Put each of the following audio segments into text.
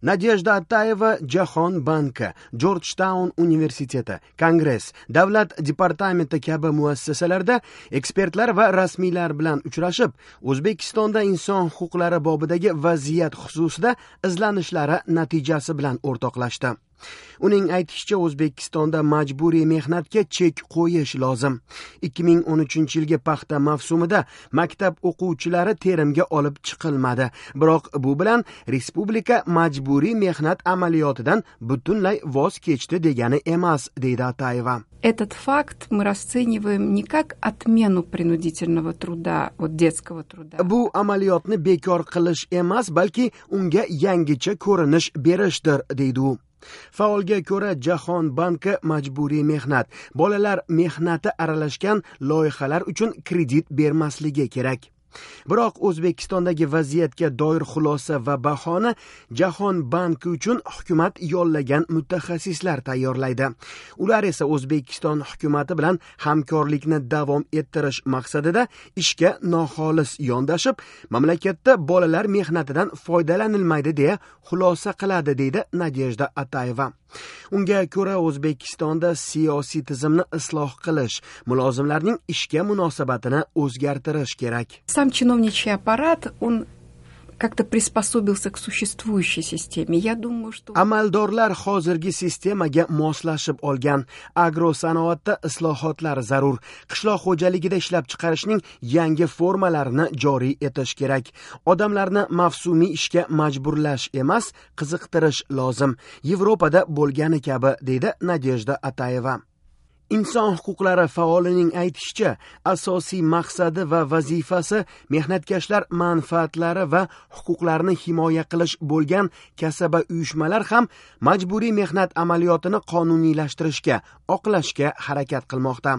Nadejda Atayeva Jahon banki, Jorjtaun universiteti, Kongress, Davlat departamenti kabi muassasalarda ekspertlar va rasmiylar bilan uchrashib, O'zbekistonda inson huquqlari bobidagi vaziyat xususida izlanishlari natijasi bilan o'rtoqlashdi. Uning aytishicha, O'zbekistonda majburiy mehnatga chek qo'yish lozim. 2013-yilgi paxta mavsumida maktab o'quvchilari terimga olib chiqilmadi. Biroq bu bilan respublika majburiy mehnat amaliyotidan butunlay voz kechdi degani emas, deydi Atayeva. Этот факт мы расцениваем не как отмену принудительного труда, вот детского труда. Bu amaliyotni bekor qilish emas, balki unga yangicha ko'rinish berishdir, deydi u. Faolga ko'ra, Jahon banki majburiy mehnat, bolalar mehnati aralashgan loyihalar uchun kredit bermasligi kerak. Biroq O'zbekistondagi vaziyatga doir xulosa va bahoni Jahon banki uchun hukumat yollagan mutaxassislar tayyorlaydi. Ular esa O'zbekiston hukumati bilan hamkorlikni davom ettirish maqsadida ishga noxolis yondashib, mamlakatda bolalar mehnatidan foydalanilmaydi deya xulosa qiladi, deydi Nadejda Atayeva. Unga ko'ra, O'zbekistonda siyosiy tizimni isloh qilish, mulozimlarning ishga munosabatini o'zgartirish kerak. Сам чиновничий аппарат, он как-то приспособился к существующей системе. Я думаю, что Amaldorlar hozirgi sistemaga moslashib olgan. Agrosanoatda islohotlar zarur. Qishloq xo'jaligida ishlab chiqarishning yangi formalarini joriy etish kerak. Odamlarni mavsumiy ishga majburlash emas, qiziqtirish lozim. Yevropada bo'lgani kabi, deydi Nadejda Atayeva. Inson huquqlari faolining aytishicha, asosiy maqsadi va vazifasi mehnatkashlar manfaatlari va huquqlarini himoya qilish bo'lgan kasaba uyushmalar ham majburiy mehnat amaliyotini qonuniylashtirishga, oqlashga harakat qilmoqda.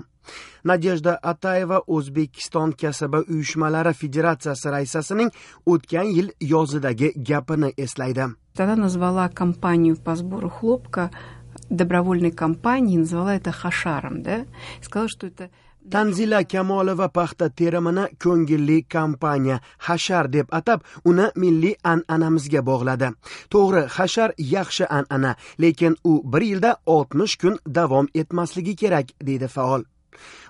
Nadejda Atayeva O'zbekiston kasaba uyushmalari federatsiyasi raisasining o'tgan yil yozidagi gapini eslaydi. Она назвала кампанию по сбору хлопка добровольной кампанией, назвала это хашаром, да, сказала, что это Tanzila Kamolova paxta terimini ko'ngilli kampaniya, hashar deb atab, uni milliy an'anamizga bog'ladi. To'g'ri, hashar yaxshi an'ana, lekin u bir yilda 60 kun davom etmasligi kerak, deydi faol.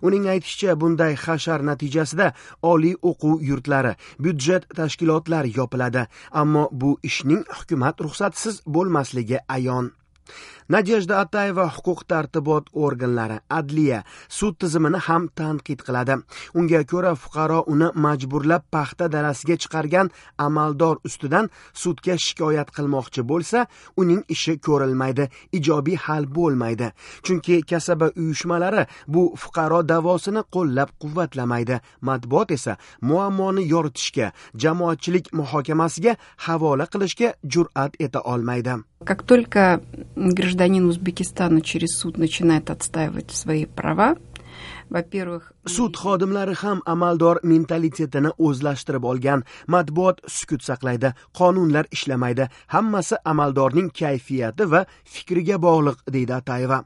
Uning aytishicha, bunday hashar natijasida oliy o'quv yurtlari, byudjet tashkilotlari yopiladi, ammo bu ishning hukumat ruxsatisiz bo'lmasligi ayon. Nadejda Atayeva huquq tartibot organlari, adliya, sud tizimini ham tanqid qiladi. Unga ko'ra, fuqaro uni majburlab paxta darasiga chiqargan amaldor ustidan sudga shikoyat qilmoqchi bo'lsa, uning ishi ko'rilmaydi, ijobiy hal bo'lmaydi. Chunki kasaba uyushmalari bu fuqaro da'vosini qo'llab-quvvatlamaydi. Matbuot esa muammoni yoritishga, jamoatchilik muhokamasiga havola qilishga jur'at eta olmaydi. Как только гражданин Узбекистана через суд начинает отстаивать свои права, во-первых, Sud xodimlari ham amaldor mentalitetini o'zlashtirib olgan. Matbuot sukut saqlaydi, qonunlar ishlamaydi. Hammasi amaldorning kayfiyati va fikriga bog'liq, deydi Atayeva.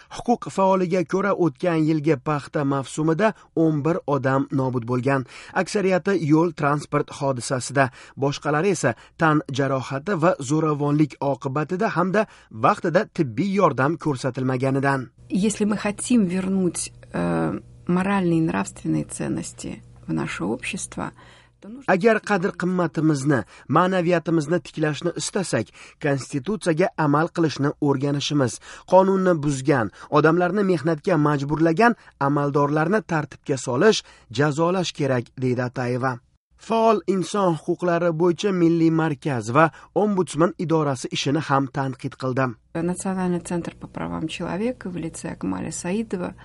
Huquq faoliga ko'ra, o'tgan yilgi paxta mavsumida 11 odam nobud bo'lgan. Aksariyati yo'l transport hodisasida, boshqalari esa tan jarohati va zo'ravonlik oqibatida hamda vaqtida tibbiy yordam ko'rsatilmaganidan. Если мы хотим вернуть моральные и нравственные ценности в наше общество, то нужно Agar qadr qimmatimizni, ma'naviyatimizni tiklashni istasak, konstitutsiyaga amal qilishni o'rganishimiz, qonunni buzgan, odamlarni mehnatga majburlagan amaldorlarni tartibga solish, jazolash kerak, deydi Atayeva. Faol inson huquqlari bo'yicha milliy markaz va ombudsman idorasi ishini ham tanqid qildi. Национальный центр по правам человека в лице Акмаля Саидова,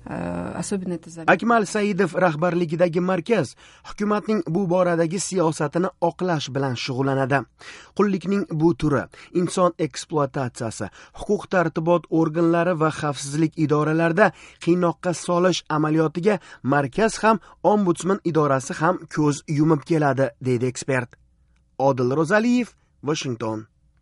особенно это заметно. Akmal Saidov rahbarligidagi markaz hukumatning bu boradagi siyosatini oqlash bilan shug'ullanadi. Qullikning bu turi, inson ekspluatatsiyasi, huquq tartibot organlari va xavfsizlik idoralarida qiynoqqa solish amaliyotiga markaz ham, ombudsman idorasi ham ko'z yumib keladi, deydi ekspert. Odil Ro'zaliyev, Washington.